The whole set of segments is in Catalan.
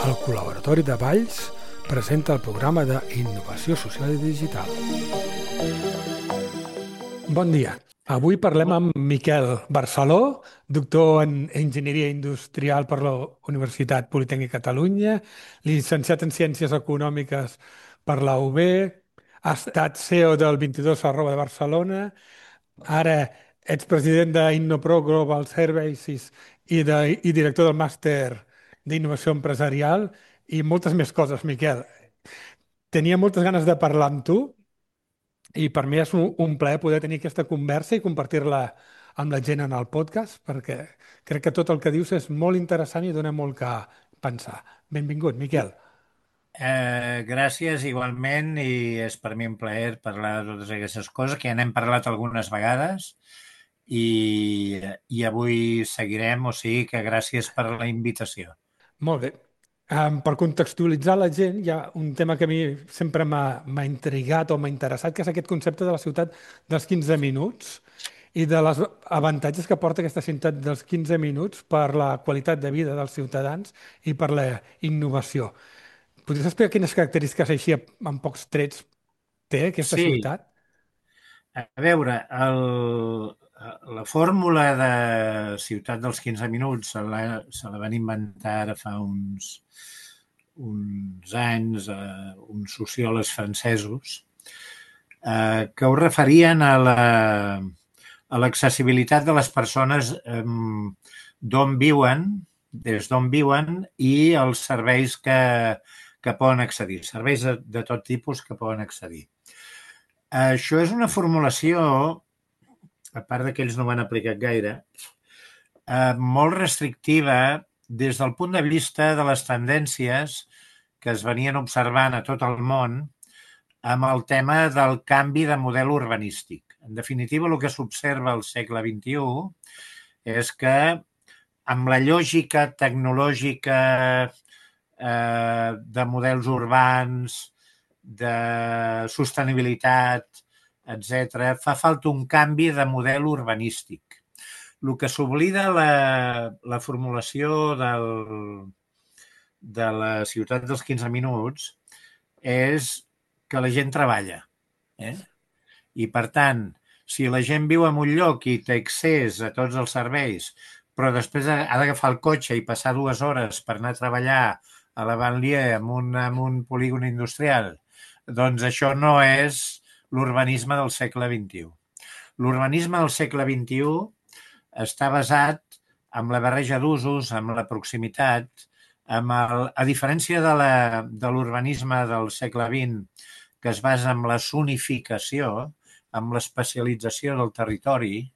El Col·laboratori de Valls presenta el programa d'Innovació Social i Digital. Bon dia. Avui parlem amb Miquel Barceló, doctor en Enginyeria Industrial per la Universitat Politècnica de Catalunya, llicenciat en Ciències Econòmiques per la UB, ha estat CEO del 22 arroba de Barcelona, ara ets president d'Innopro Global Services i director del màster d'Innovació Empresarial i moltes més coses, Miquel. Tenia moltes ganes de parlar amb tu i per mi és un plaer poder tenir aquesta conversa i compartir-la amb la gent en el podcast, perquè crec que tot el que dius és molt interessant i dona molt que pensar. Benvingut, Miquel. Gràcies igualment i és per mi un plaer parlar de totes aquestes coses que ja n'hem parlat algunes vegades i avui seguirem, o sigui que gràcies per la invitació. Molt bé. Per contextualitzar la gent, hi ha un tema que a mi sempre m'ha intrigat o m'ha interessat, que és aquest concepte de la ciutat dels 15 minuts i de les avantatges que porta aquesta ciutat dels 15 minuts per la qualitat de vida dels ciutadans i per la innovació. Podries explicar quines característiques així en pocs trets té aquesta Sí, ciutat? a veure, la fórmula de ciutat dels 15 minuts se la van inventar ara fa uns anys uns sociòlegs francesos que ho referien a l'accessibilitat de les persones d'on viuen, des d'on viuen i els serveis que poden accedir, serveis de tot tipus que poden accedir. Això és una formulació, a part que ells no ho han aplicat gaire, molt restrictiva des del punt de vista de les tendències que es venien observant a tot el món amb el tema del canvi de model urbanístic. En definitiva, el que s'observa al segle XXI és que amb la lògica tecnològica de models urbans, de sostenibilitat, etc., fa falta un canvi de model urbanístic. El que s'oblida la formulació de la ciutat dels 15 minuts és que la gent treballa. I, per tant, si la gent viu en un lloc i té accés a tots els serveis, però després ha d'agafar el cotxe i passar 2 hores per anar a treballar a la banlieue en un polígon industrial, doncs això no és l'urbanisme del segle XXI. L'urbanisme del segle XXI està basat en la barreja d'usos, en la proximitat, a diferència de l'urbanisme del segle XX, que es basa en la zonificació, amb l'especialització del territori.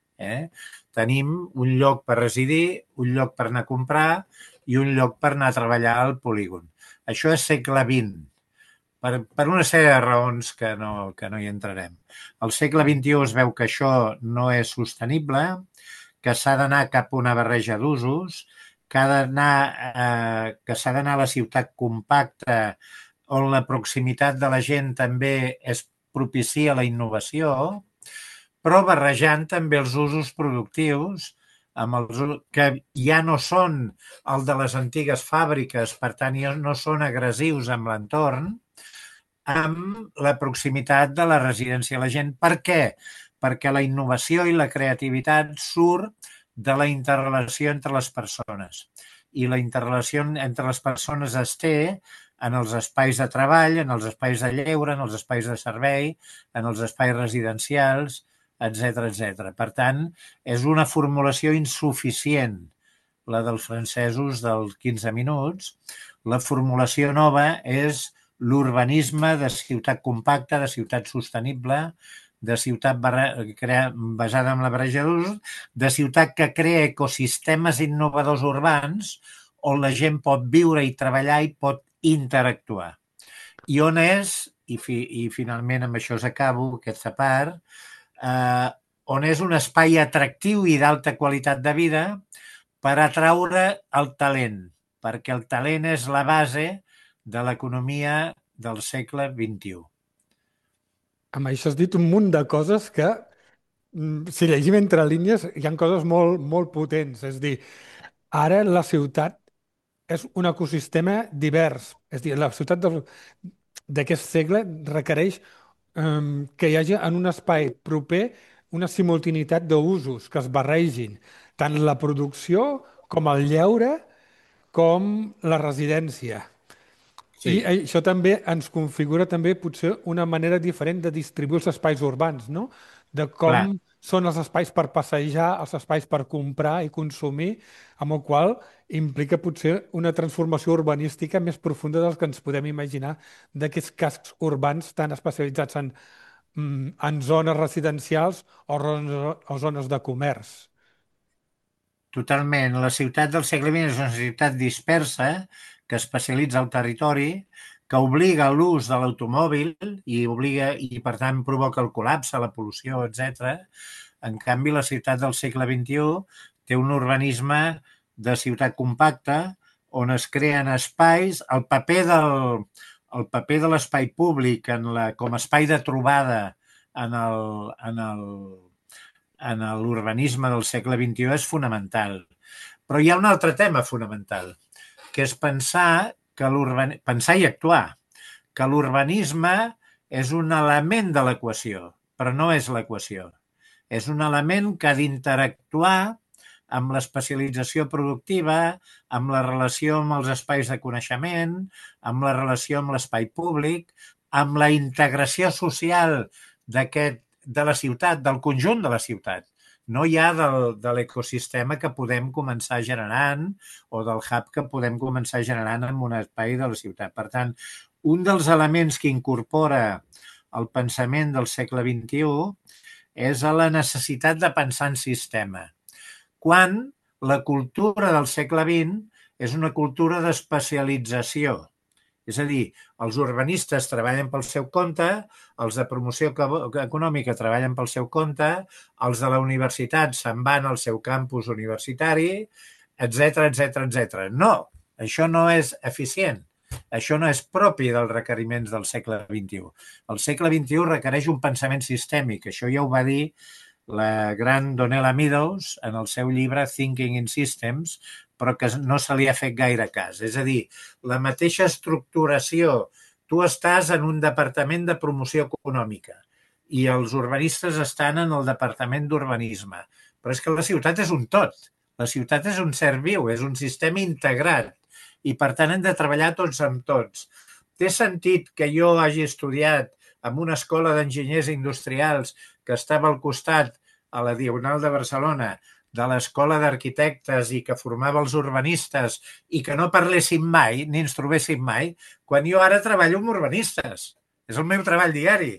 Tenim un lloc per residir, un lloc per anar a comprar i un lloc per anar a treballar al polígon. Això és segle XX. Per una sèrie de raons que no hi entrarem. Al segle XXI es veu que això no és sostenible, que s'ha d'anar cap a una barreja d'usos, que s'ha d'anar a la ciutat compacta on la proximitat de la gent també es propicia la innovació, però barrejant també els usos productius que ja no són el de les antigues fàbriques, per tant ja no són agressius amb l'entorn, amb la proximitat de la residència de la gent. Per què? Perquè la innovació i la creativitat surt de la interrelació entre les persones. I la interrelació entre les persones es té en els espais de treball, en els espais de lleure, en els espais de servei, en els espais residencials, etc. Per tant, és una formulació insuficient, la dels francesos dels 15 minuts. La formulació nova és l'urbanisme de ciutat compacta, de ciutat sostenible, de ciutat basada en la barreja d'usos, de ciutat que crea ecosistemes innovadors urbans on la gent pot viure i treballar i pot interactuar. I on és, i finalment amb això acabo, aquesta part, on és un espai atractiu i d'alta qualitat de vida per atraure el talent, perquè el talent és la base de l'economia del segle XXI. Amb això has dit un munt de coses que, si llegim entre línies, hi ha coses molt, molt potents. És a dir, ara la ciutat és un ecosistema divers. És a dir, la ciutat d'aquest segle requereix que hi hagi en un espai proper una simultaneïtat d'usos que es barregin, tant la producció com el lleure com la residència. I Sí, això també ens configura també potser una manera diferent de distribuir els espais urbans, no? De clar. com són els espais per passejar, els espais per comprar i consumir, amb el qual implica potser una transformació urbanística més profunda del que ens podem imaginar d'aquests cascs urbans tan especialitzats en zones residencials o zones de comerç. Totalment. La ciutat del segle XX és una ciutat dispersa que especialitza el territori, que obliga a l'ús de l'automòbil i per tant provoca el col·lapse, la pol·lució, etc. En canvi, la ciutat del segle XXI té un urbanisme de ciutat compacta on es creen espais, el paper de l'espai públic com a espai de trobada en el, en el, en l'urbanisme del segle XXI és fonamental. Però hi ha un altre tema fonamental, que és pensar i actuar, que l'urbanisme és un element de l'equació, però no és l'equació. És un element que ha d'interactuar amb l'especialització productiva, amb la relació amb els espais de coneixement, amb la relació amb l'espai públic, amb la integració social de la ciutat, del conjunt de la ciutat. No hi ha de l'ecosistema que podem començar generant o del hub que podem començar generant en un espai de la ciutat. Per tant, un dels elements que incorpora el pensament del segle XXI és a la necessitat de pensar en sistema, quan la cultura del segle XX és una cultura d'especialització. És a dir, els urbanistes treballen pel seu compte, els de promoció econòmica treballen pel seu compte, els de la universitat se'n van al seu campus universitari, etc etc etc. No, això no és eficient. Això no és propi dels requeriments del segle XXI. El segle XXI requereix un pensament sistèmic. Això ja ho va dir la gran Donella Meadows en el seu llibre Thinking in Systems, però que no se li ha fet gaire cas. És a dir, la mateixa estructuració. Tu estàs en un departament de promoció econòmica i els urbanistes estan en el departament d'urbanisme. Però és que la ciutat és un tot. La ciutat és un ser viu, és un sistema integrat i per tant hem de treballar tots amb tots. Té sentit que jo hagi estudiat en una escola d'enginyers industrials que estava al costat, a la Diagonal de Barcelona, de l'escola d'arquitectes i que formava els urbanistes i que no parléssim mai, ni ens trobéssim mai, quan jo ara treballo amb urbanistes. És el meu treball diari.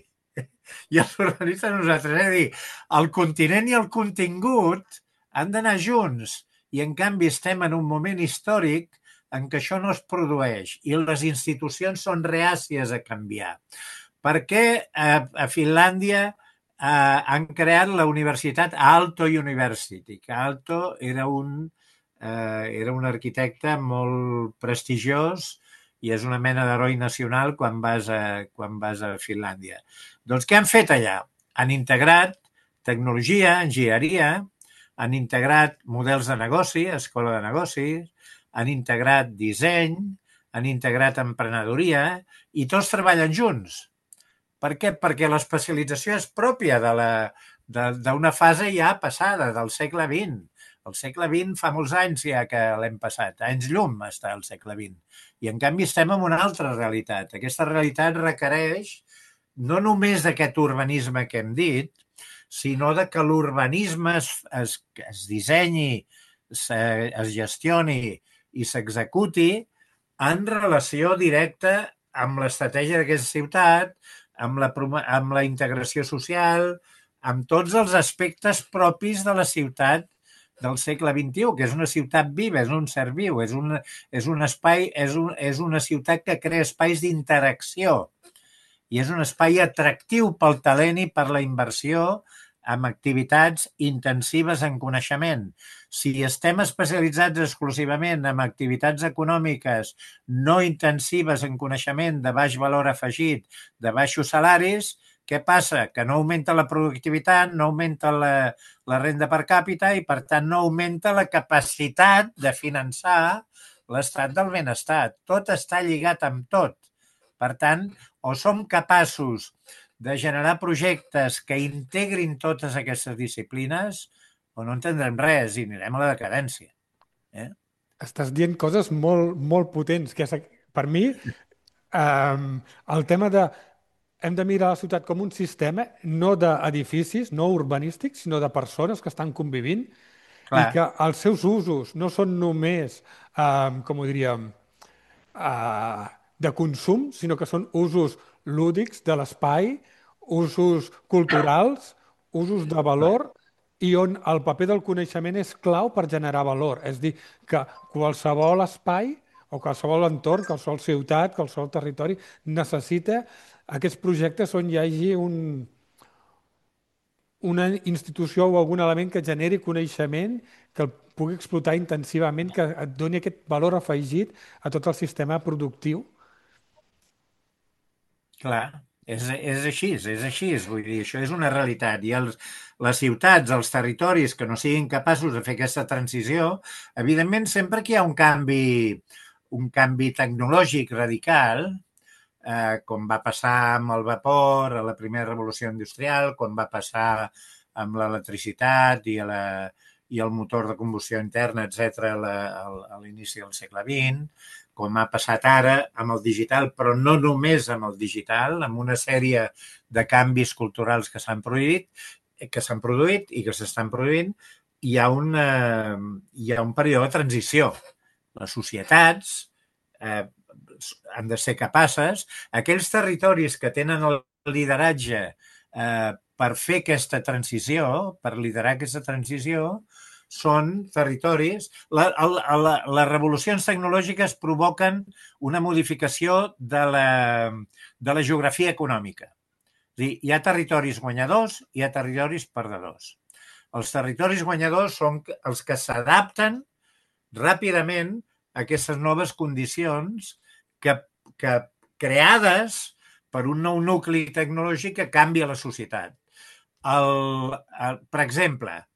I els urbanistes nosaltres, és a dir, el continent i el contingut han d'anar junts i en canvi estem en un moment històric en què això no es produeix i les institucions són reàcies a canviar. Per què a Finlàndia han creat la universitat Aalto University, que Aalto era un arquitecte molt prestigiós i és una mena d'heroi nacional quan vas a Finlàndia. Doncs què han fet allà? Han integrat tecnologia, enginyeria, han integrat models de negoci, escola de negocis, han integrat disseny, han integrat emprenedoria i tots treballen junts. Per què? Perquè l'especialització és pròpia d'una fase ja passada, del segle XX. El segle XX fa molts anys ja que l'hem passat. Anys llum està el segle XX. I en canvi estem en una altra realitat. Aquesta realitat requereix no només d'aquest urbanisme que hem dit, sinó de que l'urbanisme es dissenyi, es gestioni i s'executi en relació directa amb l'estratègia d'aquesta ciutat, amb la integració social, amb tots els aspectes propis de la ciutat del segle XXI, que és una ciutat viva, és un ser viu, és un espai, és una ciutat que crea espais d'interacció i és un espai atractiu pel talent i per la inversió amb activitats intensives en coneixement. Si estem especialitzats exclusivament en activitats econòmiques no intensives en coneixement de baix valor afegit, de baixos salaris, què passa? Que no augmenta la productivitat, no augmenta la renda per càpita i, per tant, no augmenta la capacitat de finançar l'estat del benestar. Tot està lligat amb tot. Per tant, o som capaços de generar projectes que integrin totes aquestes disciplines o no entendrem res i anirem a la decadència. Estàs dient coses molt, molt potents, que és, per mi, el tema de hem de mirar la ciutat com un sistema, no d'edificis, no urbanístics, sinó de persones que estan convivint i Clar, que els seus usos no són només, com ho diríem, de consum, sinó que són usos lúdics de l'espai, usos culturals, usos de clar. valor i on el paper del coneixement és clau per generar valor. És dir, que qualsevol espai o qualsevol entorn, qualsevol ciutat, qualsevol territori necessita aquests projectes on hi hagi una institució o algun element que generi coneixement, que el pugui explotar intensivament, que et doni aquest valor afegit a tot el sistema productiu. Clar, és així, és així. Vull dir, això és una realitat. I les ciutats, els territoris que no siguin capaços de fer aquesta transició, evidentment, sempre que hi ha un canvi tecnològic radical, com va passar amb el vapor a la primera revolució industrial, com va passar amb l'electricitat i el motor de combustió interna, etc., a l'inici del segle XX, com ha passat ara amb el digital, però no només amb el digital, amb una sèrie de canvis culturals que s'han produït i que s'estan produint, hi ha un període de transició. Les societats han de ser capaces, aquells territoris que tenen el lideratge per fer aquesta transició, per liderar aquesta transició, són territoris... Les revolucions tecnològiques provoquen una modificació de la geografia econòmica. És dir, hi ha territoris guanyadors i hi ha territoris perdedors. Els territoris guanyadors són els que s'adapten ràpidament a aquestes noves condicions que creades per un nou nucli tecnològic que canvia la societat. Per exemple,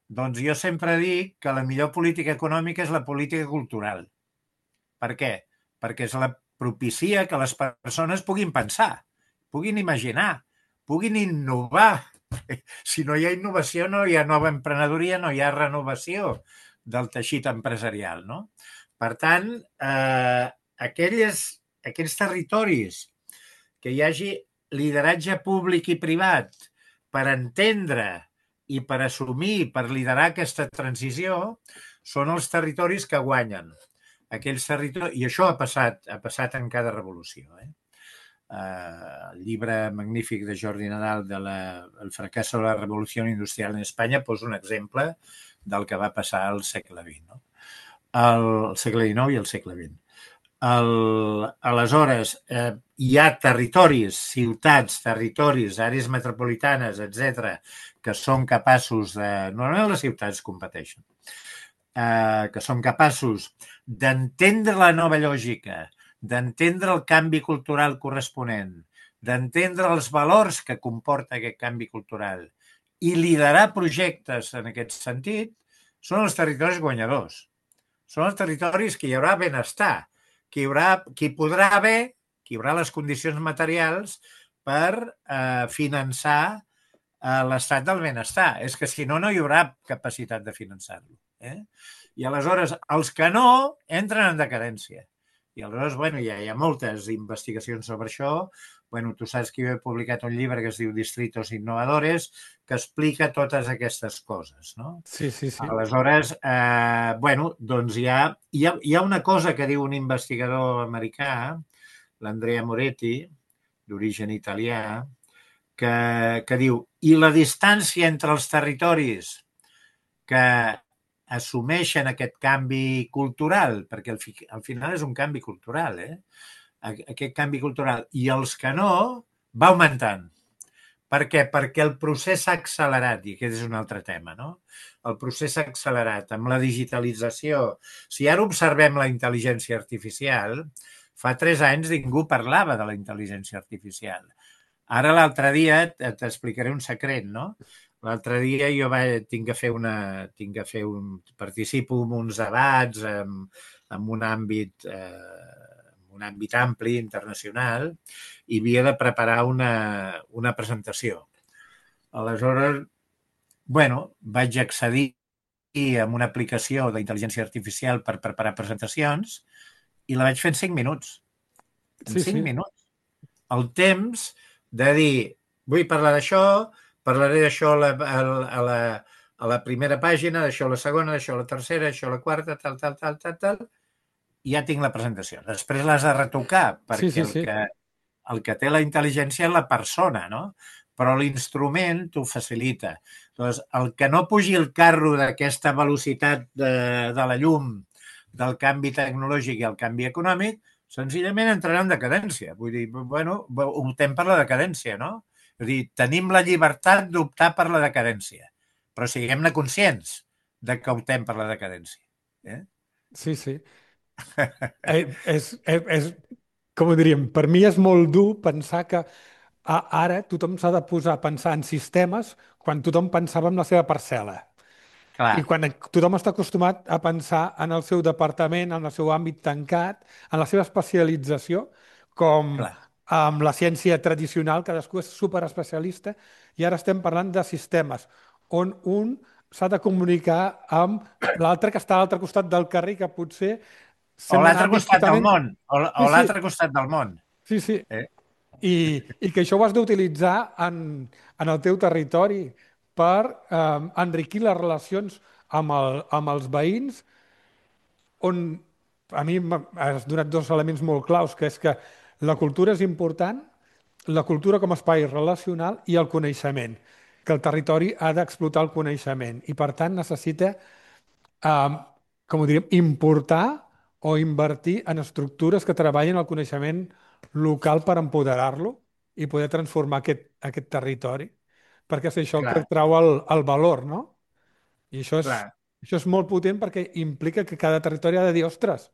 doncs jo sempre dic que la millor política econòmica és la política cultural. Per què? Perquè propicia que les persones puguin pensar, puguin imaginar, puguin innovar. Si no hi ha innovació, no hi ha nova emprenedoria, no hi ha renovació del teixit empresarial. No? Per tant, aquells territoris que hi hagi lideratge públic i privat per entendre i per assumir, per liderar aquesta transició, són els territoris que guanyen. Aquells territoris... I això ha passat en cada revolució. El llibre magnífic de Jordi Nadal El fracasso de la revolució industrial en Espanya posa un exemple del que va passar al segle XX. No? El segle XIX i el segle XX. Aleshores, hi ha territoris, ciutats, territoris, àrees metropolitanes, etc., que són capaços de... Normalment les ciutats competeixen. Que són capaços d'entendre la nova lògica, d'entendre el canvi cultural corresponent, d'entendre els valors que comporta aquest canvi cultural i liderar projectes en aquest sentit, són els territoris guanyadors. Són els territoris que hi haurà benestar, que hi haurà les condicions materials per finançar l'estat del benestar. És que si no, no hi haurà capacitat de finançar-lo. I aleshores, els que no, entren en decadència. I aleshores, bueno, hi ha moltes investigacions sobre això. Bueno, tu saps que jo he publicat un llibre que es diu Distritos Innovadores, que explica totes aquestes coses, no? Sí, sí, sí. Aleshores, bueno, doncs hi ha una cosa que diu un investigador americà, l'Andrea Moretti, d'origen italià, que diu, i la distància entre els territoris que assumeixen aquest canvi cultural, perquè al final és un canvi cultural, aquest canvi cultural, i els que no, va augmentant. Per què? Perquè el procés s'ha accelerat, i aquest és un altre tema, no? El procés s'ha accelerat amb la digitalització. Si ara observem la intel·ligència artificial, fa 3 anys ningú parlava de la intel·ligència artificial. Ara l'altre dia t'explicaré un secret, no? L'altre dia jo participo en uns debats en un àmbit ampli, internacional, i havia de preparar una presentació. Aleshores, bueno, vaig accedir amb una aplicació d'intel·ligència artificial per preparar presentacions i la vaig fer en 5 minuts. En Sí, 5 sí. minuts. El temps de dir, vull parlar d'això, parlaré d'això a la primera pàgina, d'això a la segona, d'això a la tercera, d'això a la quarta, tal, i ja tinc la presentació. Després l'has de retocar, Sí, perquè sí, sí. el que té la intel·ligència és la persona, no? Però l'instrument t'ho facilita. Doncs el que no pugi el carro d'aquesta velocitat de la llum, del canvi tecnològic i el canvi econòmic, senzillament entrarà en decadència. Vull dir, bueno, optem per la decadència, no? És a dir, tenim la llibertat d'optar per la decadència, però siguem-ne conscients de que optem per la decadència. Eh? Sí, sí. Com ho diríem, per mi és molt dur pensar que ara tothom s'ha de posar a pensar en sistemes quan tothom pensava en la seva parcel·la. I Clar, quan tothom està acostumat a pensar en el seu departament, en el seu àmbit tancat, en la seva especialització, com clar. amb la ciència tradicional, cadascú és superespecialista, i ara estem parlant de sistemes on un s'ha de comunicar amb l'altre que està a l'altre costat del carrer, que potser O sent en l'altre àmbits costat del totalment... món, Sí, o sí, l'altre costat del món. sí, sí. Eh? I, i que això ho has d'utilitzar en el teu territori per enriquir les relacions amb els veïns, on a mi has donat dos elements molt claus, que és que la cultura és important, la cultura com a espai relacional i el coneixement, que el territori ha d'explotar el coneixement i per tant necessita, eh, com ho diríem, importar o invertir en estructures que treballin el coneixement local per empoderar-lo i poder transformar aquest territori, perquè és això el que Clar, trau el valor, no? I clar, això és molt potent perquè implica que cada territori ha de dir, ostres,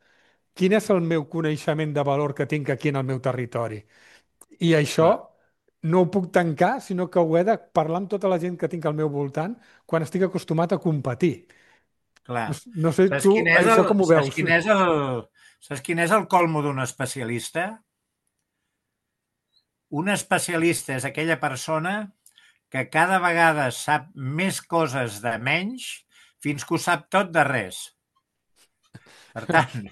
quin és el meu coneixement de valor que tinc aquí en el meu territori? I això clar, no ho puc tancar, sinó que ho he de parlar amb tota la gent que tinc al meu voltant quan estic acostumat a competir. clar. No, no sé Saps tu, quin és això com ho saps veus? quin és saps quin és el colmo d'un especialista? Un especialista és aquella persona que cada vegada sap més coses de menys fins que ho sap tot de res. Per tant,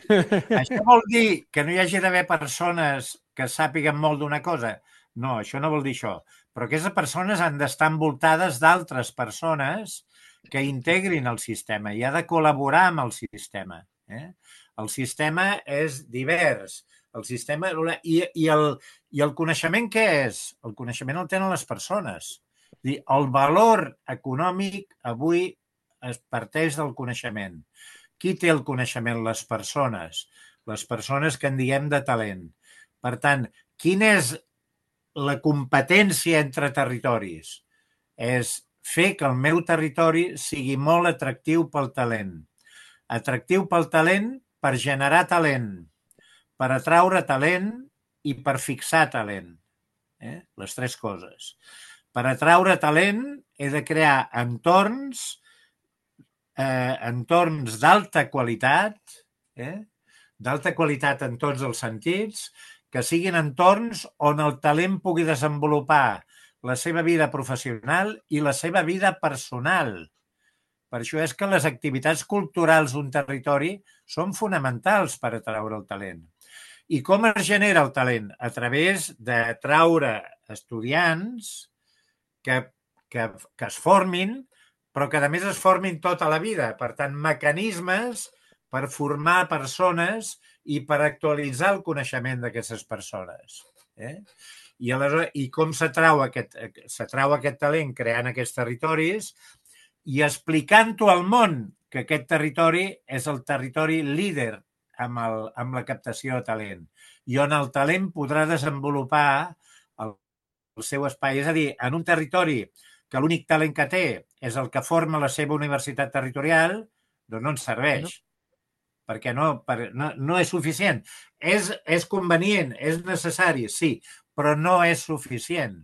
això vol dir que no hi hagi d'haver persones que sàpiguen molt d'una cosa? No, això no vol dir això. Però aquestes persones han d'estar envoltades d'altres persones que integrin el sistema i ha de col·laborar amb el sistema. El sistema és divers. El sistema... I el coneixement què és? El coneixement el tenen les persones. És dir, el valor econòmic avui es parteix del coneixement. Qui té el coneixement? Les persones. Les persones que en diem de talent. Per tant, quina és la competència entre territoris? És fer que el meu territori sigui molt atractiu pel talent. Atractiu pel talent per generar talent, per atraure talent i per fixar talent. Les tres coses. Per atraure talent he de crear entorns d'alta qualitat, d'alta qualitat en tots els sentits, que siguin entorns on el talent pugui desenvolupar la seva vida professional i la seva vida personal. Per això és que les activitats culturals d'un territori són fonamentals per atraure el talent. I com es genera el talent? A través d'atraure estudiants que es formin, però que a més es formin tota la vida. Per tant, mecanismes per formar persones i per actualitzar el coneixement d'aquestes persones. I com s'atrau aquest talent creant aquests territoris i explicant-ho al món que aquest territori és el territori líder amb la captació de talent i on el talent podrà desenvolupar el seu espai. És a dir, en un territori que l'únic talent que té és el que forma la seva universitat territorial, doncs no ens serveix. No? Perquè no és suficient. És convenient, és necessari, sí, però no és suficient.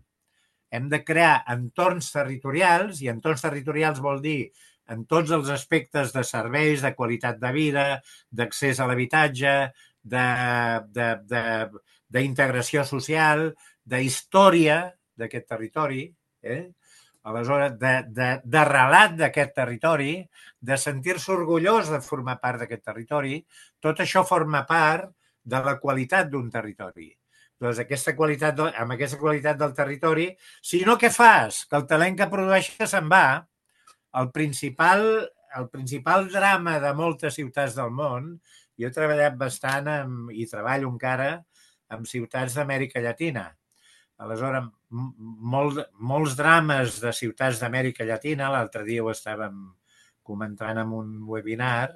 Hem de crear entorns territorials, i entorns territorials vol dir en tots els aspectes de serveis, de qualitat de vida, d'accés a l'habitatge, d'integració social, d'història d'aquest territori, aleshores, de relat d'aquest territori, de sentir-se orgullós de formar part d'aquest territori. Tot això forma part de la qualitat d'un territori. Doncs amb aquesta qualitat del territori, si no, què fas? Que el talent que produeixes se'n va. El principal drama de moltes ciutats del món, jo he treballat bastant i treballo encara en ciutats d'Amèrica Llatina. Aleshores, molts drames de ciutats d'Amèrica Llatina, l'altre dia ho estàvem comentant en un webinar,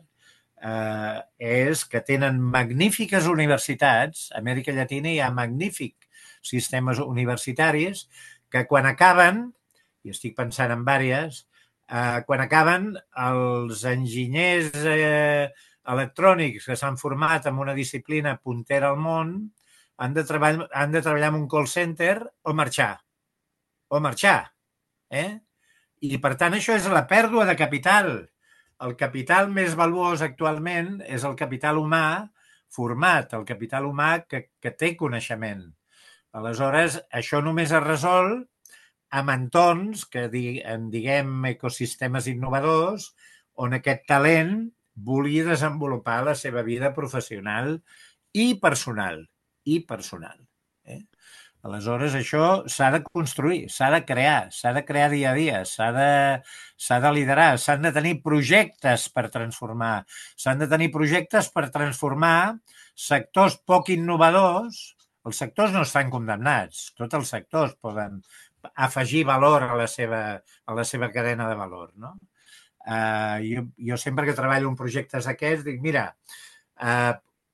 és que tenen magnífiques universitats. A Amèrica Llatina hi ha magnífics sistemes universitaris que quan acaben, i estic pensant en diverses, quan acaben els enginyers electrònics que s'han format en una disciplina puntera al món han de treballar en un call center o marxar. I, per tant, això és la pèrdua de capital. El capital més valuós actualment és el capital humà format, el capital humà que té coneixement. Aleshores, això només es resol amb entorns que en diguem ecosistemes innovadors on aquest talent vulgui desenvolupar la seva vida professional i personal. Aleshores, això s'ha de construir, s'ha de crear dia a dia, s'ha de liderar, s'han de tenir projectes per transformar, sectors poc innovadors. Els sectors no estan condemnats, tots els sectors poden afegir valor a la seva cadena de valor, no? Jo sempre que treballo en projectes d'aquests dic, mira,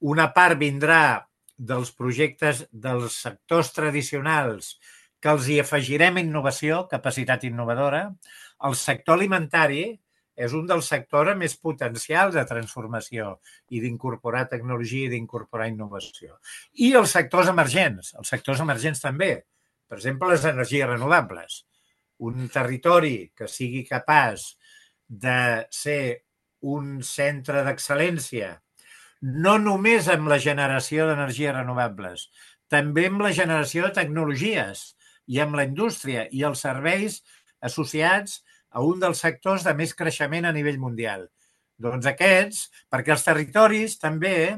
una part vindrà dels projectes dels sectors tradicionals que els hi afegirem innovació, capacitat innovadora. El sector alimentari és un dels sectors més potencials de transformació i d'incorporar tecnologia i d'incorporar innovació. I els sectors emergents també. Per exemple, les energies renovables. Un territori que sigui capaç de ser un centre d'excel·lència no només amb la generació d'energies renovables, també amb la generació de tecnologies i amb la indústria i els serveis associats a un dels sectors de més creixement a nivell mundial. Doncs aquests, perquè els territoris també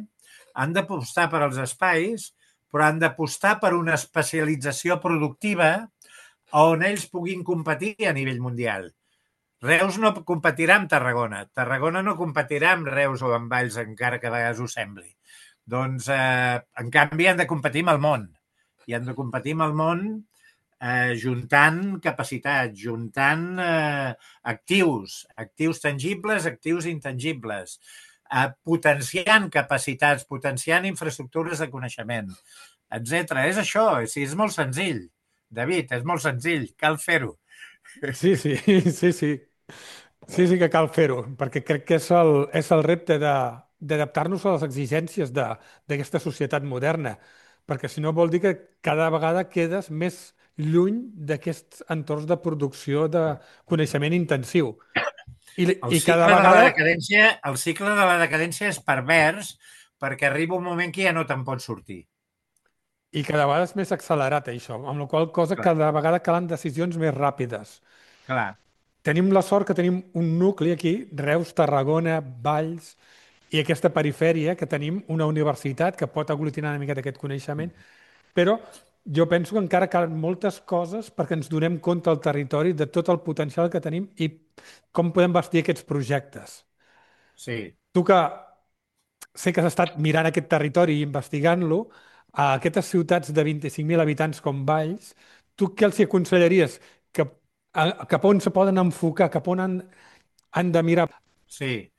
han d'apostar per als espais, però han d'apostar per una especialització productiva on ells puguin competir a nivell mundial. Reus no competirà amb Tarragona. Tarragona no competirà amb Reus o amb Valls, encara que a vegades ho sembli. Doncs, en canvi, han de competir amb el món. I han de competir amb el món juntant capacitats, juntant actius tangibles, actius intangibles, potenciant capacitats, potenciant infraestructures de coneixement, etc. És això, és molt senzill. David, és molt senzill, cal fer-ho. Sí, que cal fer-ho, perquè crec que és el repte d'adaptar-nos a les exigències d'aquesta societat moderna, perquè si no vol dir que cada vegada quedes més lluny d'aquests entorns de producció de coneixement intensiu. El cicle de la decadència és pervers perquè arriba un moment que ja no te'n pots sortir. I cada vegada és més accelerat, això, amb la qual cosa cada vegada calen decisions més ràpides. Clar. Tenim la sort que tenim un nucli aquí, Reus, Tarragona, Valls, i aquesta perifèria, que tenim una universitat que pot aglutinar una mica d'aquest coneixement, però jo penso que encara calen moltes coses perquè ens donem compte al territori de tot el potencial que tenim i com podem bastir aquests projectes. Sí. Tu que sé que has estat mirant aquest territori i investigant-lo, a aquestes ciutats de 25.000 habitants com Valls, tu què els hi aconsellaries? Cap on se poden enfocar? Cap on han de mirar? Sí.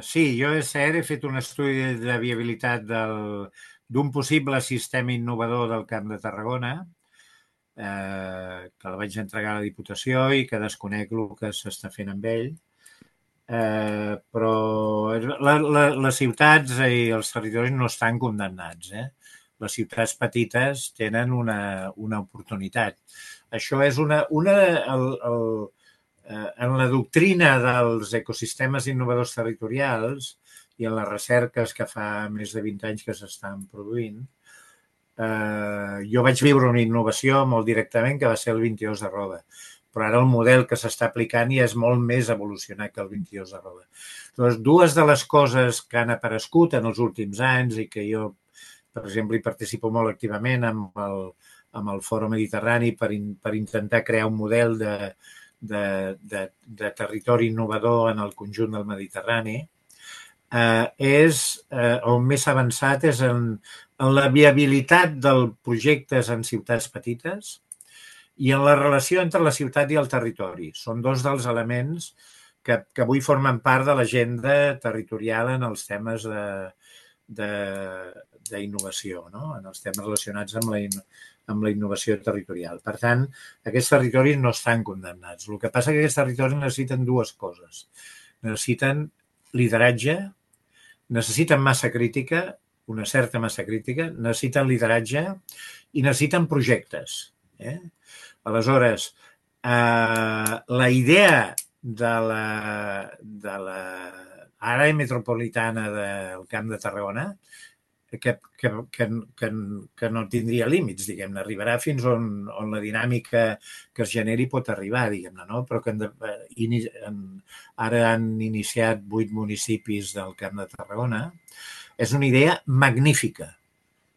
Sí, jo he fet un estudi de viabilitat d'un possible sistema innovador del Camp de Tarragona, que el vaig entregar a la Diputació i que desconec el que s'està fent amb ell. Però les ciutats i els territoris no estan condemnats. Les ciutats petites tenen una oportunitat. Això és en la doctrina dels ecosistemes innovadors territorials i en les recerques que fa més de 20 anys que s'estan produint, jo vaig viure una innovació molt directament que va ser el 22 de Roda, però ara el model que s'està aplicant ja és molt més evolucionat que el 22 de Roda. Llavors, dues de les coses que han aparegut en els últims anys i que jo, per exemple, hi participo molt activament amb el Fòrum Mediterrani per intentar crear un model de territori innovador en el conjunt del Mediterrani, on més avançat és en la viabilitat dels projectes en ciutats petites i en la relació entre la ciutat i el territori. Són dos dels elements que avui formen part de l'agenda territorial en els temes d'innovació, no? En els temes relacionats amb la innovació territorial. Per tant, aquests territoris no estan condemnats. El que passa és que aquests territoris necessiten dues coses. Necessiten lideratge, necessiten massa crítica, una certa massa crítica, necessiten lideratge i necessiten projectes. Aleshores, la idea de l'àrea metropolitana del Camp de Tarragona que no tindria límits, diguem-ne, arribarà fins on la dinàmica que es generi pot arribar, diguem-ne, no? Però que ara han iniciat 8 municipis del Camp de Tarragona. És una idea magnífica.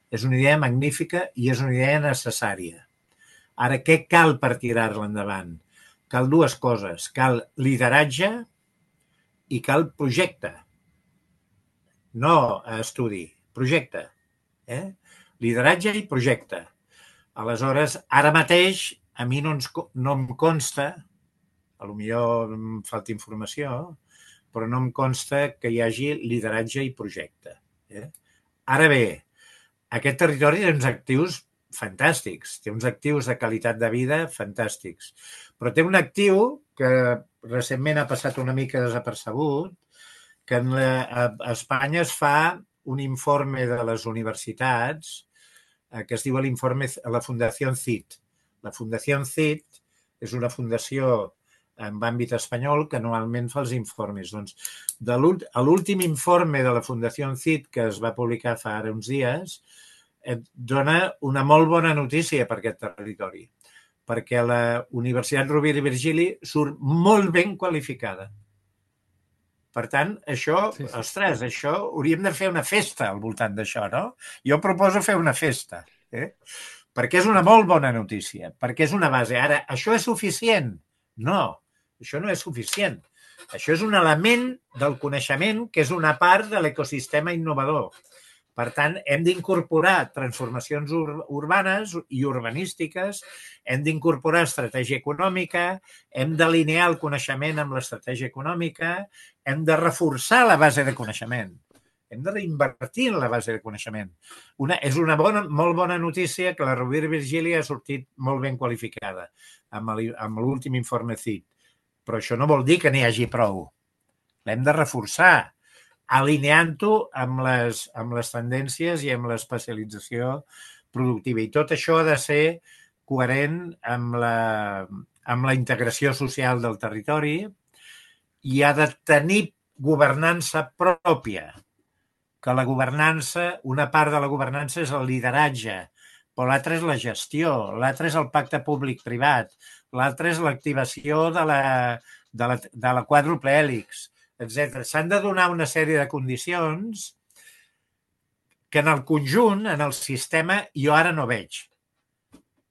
És una idea magnífica i és una idea necessària. Ara, què cal per tirar-la endavant? Cal dues coses. Cal lideratge i cal projecte. No estudi, projecte. Lideratge i projecte. Aleshores, ara mateix, a mi no em consta, potser em falta informació, però no em consta que hi hagi lideratge i projecte. Ara bé, aquest territori té uns actius fantàstics, té uns actius de qualitat de vida fantàstics, però té un actiu que recentment ha passat una mica desapercebut, que a Espanya es fa un informe de les universitats que es diu l'informe la Fundació CIT. La Fundació CIT és una fundació en àmbit espanyol que anualment fa els informes. Doncs, a l'últim informe de la Fundació CIT, que es va publicar fa ara uns dies, et dona una molt bona notícia per aquest territori, perquè la Universitat Rovira i Virgili surt molt ben qualificada. Per tant, això, ostres, això hauríem de fer una festa al voltant d'això, no? Jo proposo fer una festa, perquè és una molt bona notícia, perquè és una base. Ara, això és suficient? No, això no és suficient. Això és un element del coneixement que és una part de l'ecosistema innovador. Per tant, hem d'incorporar transformacions urbanes i urbanístiques, hem d'incorporar estratègia econòmica, hem d'alinear el coneixement amb l'estratègia econòmica, hem de reforçar la base de coneixement, hem de reinvertir en la base de coneixement. És una molt bona notícia que la Rovira i Virgili ha sortit molt ben qualificada amb l'últim informe CIT, però això no vol dir que n'hi hagi prou. L'hem de reforçar, alineant-ho amb les tendències i amb l'especialització productiva. I tot això ha de ser coherent amb la integració social del territori i ha de tenir governança pròpia, que la governança, una part de la governança és el lideratge, però l'altra és la gestió, l'altra és el pacte públic-privat, l'altra és l'activació de la quàdruple hèlix, etc. S'han de donar una sèrie de condicions que en el conjunt, en el sistema, jo ara no veig.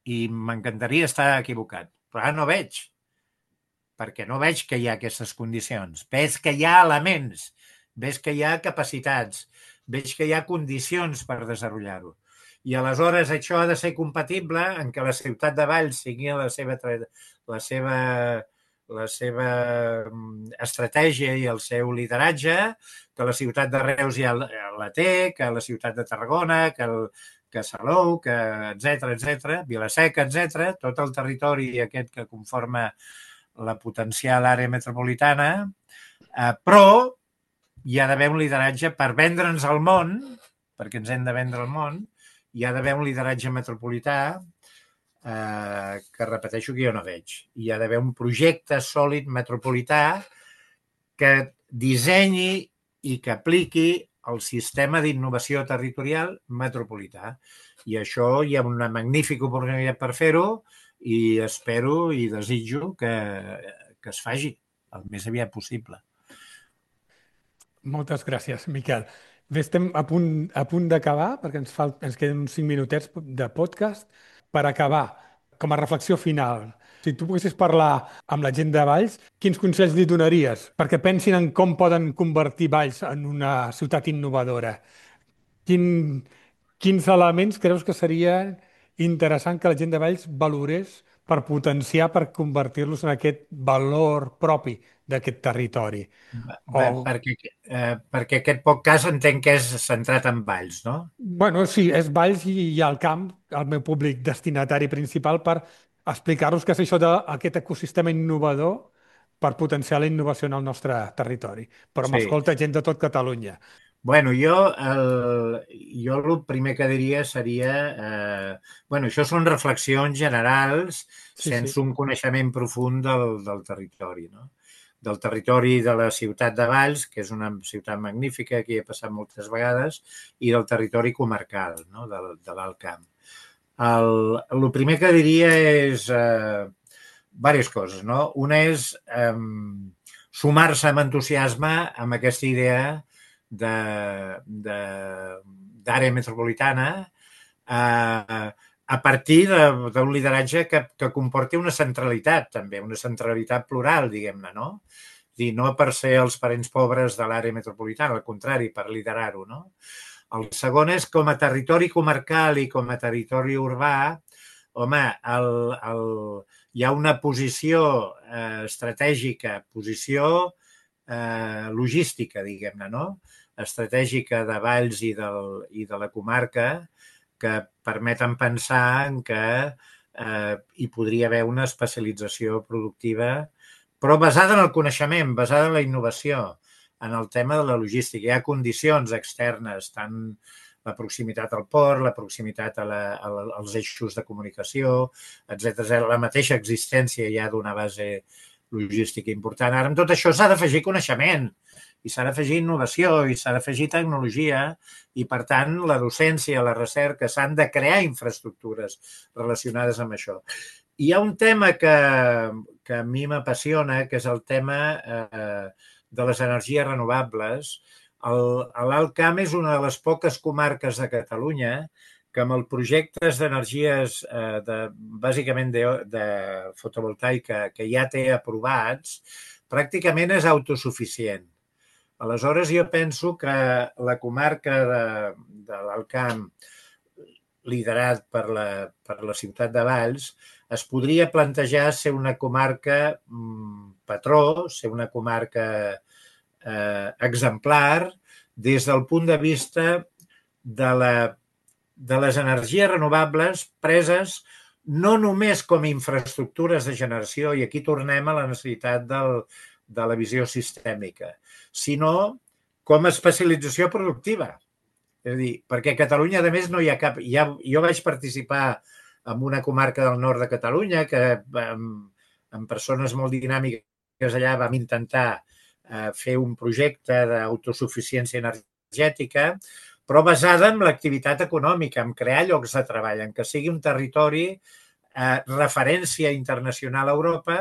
I m'encantaria estar equivocat, però ara no veig, perquè no veig que hi ha aquestes condicions. Veig que hi ha elements, veig que hi ha capacitats, veig que hi ha condicions per desenvolupar-ho. I aleshores això ha de ser compatible en què la ciutat de Valls sigui la seva estratègia i el seu lideratge, que la ciutat de Reus ja la té, que la ciutat de Tarragona, que Salou, etc., Vila-seca, etc., tot el territori aquest que conforma la potencial àrea metropolitana, però hi ha d'haver un lideratge per vendre'ns al món, perquè ens hem de vendre al món, hi ha d'haver un lideratge metropolità que repeteixo que jo no veig. Hi ha d'haver un projecte sòlid metropolità que dissenyi i que apliqui el sistema d'innovació territorial metropolità. I això hi ha una magnífica oportunitat per fer-ho i espero i desitjo que es faci el més aviat possible. Moltes gràcies, Miquel. Bé, estem a punt d'acabar, perquè ens queden uns 5 minutets de podcast. Per acabar, com a reflexió final, si tu poguessis parlar amb la gent de Valls, quins consells li donaries perquè pensin en com poden convertir Valls en una ciutat innovadora? Quin, quins elements creus que seria interessant que la gent de Valls valorés per potenciar, per convertir-los en aquest valor propi d'aquest territori? O Perquè aquest podcast entenc que és centrat en Valls, no? Bueno, sí, és Valls i hi ha el camp, el meu públic destinatari principal, per explicar-los què és això d'aquest ecosistema innovador per potenciar la innovació en el nostre territori. Però Sí. m'escolta gent de tot Catalunya. Bueno, jo el primer que diria seria... bueno, això són reflexions generals Sí, sí. sense un coneixement profund del territori, no? Del territori de la ciutat de Valls, que és una ciutat magnífica, que hi he passat moltes vegades, i del territori comarcal, no? De l'Alt Camp. El primer que diria és diverses coses, no? Una és sumar-se amb entusiasme amb aquesta idea d'àrea metropolitana a partir d'un lideratge que comporti una centralitat, també, una centralitat plural, diguem-ne, no? És a dir, no per ser els parents pobres de l'àrea metropolitana, al contrari, per liderar-ho, no? El segon és com a territori comarcal i com a territori urbà, home, hi ha una posició estratègica, posició logística, diguem-ne, no? Estratègica de Valls i de la comarca que permeten pensar en que hi podria haver una especialització productiva, però basada en el coneixement, basada en la innovació, en el tema de la logística. Hi ha condicions externes, tant la proximitat al port, la proximitat als eixos de comunicació, etc. La mateixa existència ja d'una base logística important. Ara, amb tot això s'ha d'afegir coneixement i s'ha d'afegir innovació i s'ha d'afegir tecnologia i, per tant, la docència, la recerca, s'han de crear infraestructures relacionades amb això. Hi ha un tema que a mi m'apassiona, que és el tema de les energies renovables. L'Alt Camp és una de les poques comarques de Catalunya que amb els projectes d'energies, bàsicament de fotovoltaica, que ja té aprovats, pràcticament és autosuficient. Aleshores, jo penso que la comarca de l'Alt Camp, liderat per la ciutat de Valls, es podria plantejar ser una comarca patró, ser una comarca exemplar des del punt de vista de les energies renovables preses no només com a infraestructures de generació, i aquí tornem a la necessitat de la visió sistèmica, sinó com a especialització productiva. És a dir, perquè a Catalunya, a més, no hi ha cap... Jo vaig participar en una comarca del nord de Catalunya que amb persones molt dinàmiques allà vam intentar fer un projecte d'autosuficiència energètica, però basada en l'activitat econòmica, en crear llocs de treball, en que sigui un territori referència internacional a Europa,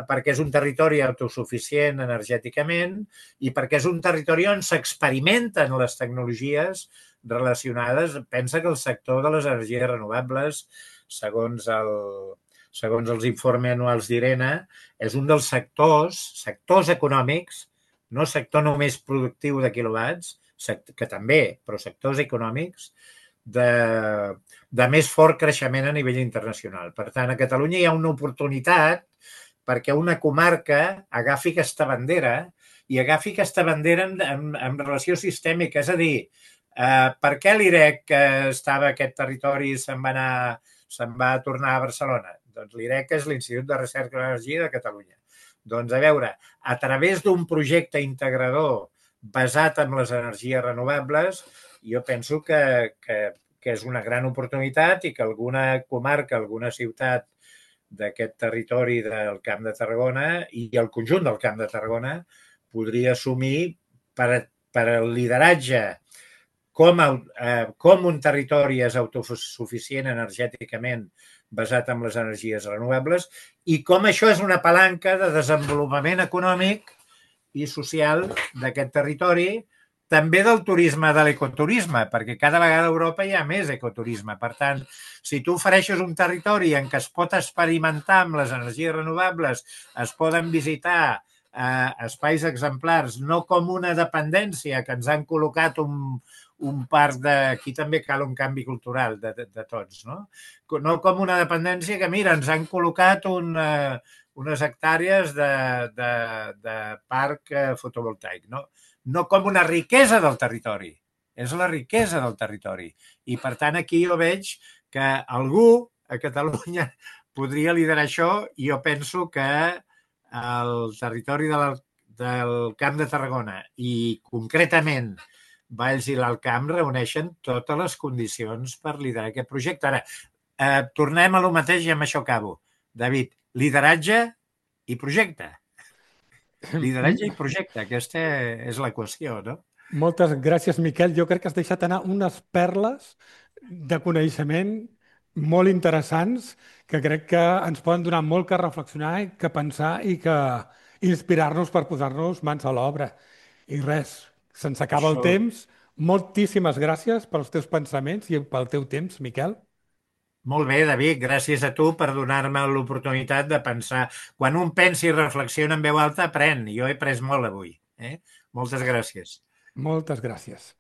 perquè és un territori autosuficient energèticament i perquè és un territori on s'experimenten les tecnologies relacionades. Pensa que el sector de les energies renovables, segons els informes anuals d'IRENA, és un dels sectors econòmics, no sector només productiu de quilowatts, que també, però sectors econòmics, de més fort creixement a nivell internacional. Per tant, a Catalunya hi ha una oportunitat perquè una comarca agafi aquesta bandera i agafi aquesta bandera en relació sistèmica. És a dir, per què l'IREC, que estava a aquest territori, se'n va tornar a Barcelona? Doncs l'IREC és l'Institut de Recerca de l'Energia de Catalunya. Doncs, a veure, a través d'un projecte integrador basat en les energies renovables, jo penso que que és una gran oportunitat i que alguna comarca, alguna ciutat d'aquest territori del Camp de Tarragona i el conjunt del Camp de Tarragona podria assumir per al lideratge com un territori és autosuficient energèticament basat en les energies renovables i com això és una palanca de desenvolupament econòmic i social d'aquest territori, també del turisme, de l'ecoturisme, perquè cada vegada a Europa hi ha més ecoturisme. Per tant, si tu ofereixes un territori en què es pot experimentar amb les energies renovables, es poden visitar espais exemplars, no com una dependència que ens han col·locat un parc de... Aquí també cal un canvi cultural de tots, no? No com una dependència que, mira, ens han col·locat unes hectàrees de parc fotovoltaic, no? No com una riquesa del territori, és la riquesa del territori. I, per tant, aquí jo veig que algú a Catalunya podria liderar això i jo penso que el territori del Camp de Tarragona i, concretament, Valls i l'Alt Camp reuneixen totes les condicions per liderar aquest projecte. Ara, tornem a lo mateix i amb això acabo. David, lideratge i projecte. Lideratge i projecte, aquesta és l'equació, no? Moltes gràcies, Miquel. Jo crec que has deixat anar unes perles de coneixement molt interessants que crec que ens poden donar molt que reflexionar i que pensar i que inspirar-nos per posar-nos mans a l'obra. I res, se'ns acaba el Això, temps. Moltíssimes gràcies pels teus pensaments i pel teu temps, Miquel. molt bé, David, gràcies a tu per donar-me l'oportunitat de pensar. Quan un pensa i reflexiona en veu alta, aprèn. Jo he après molt avui. Moltes gràcies. Moltes gràcies.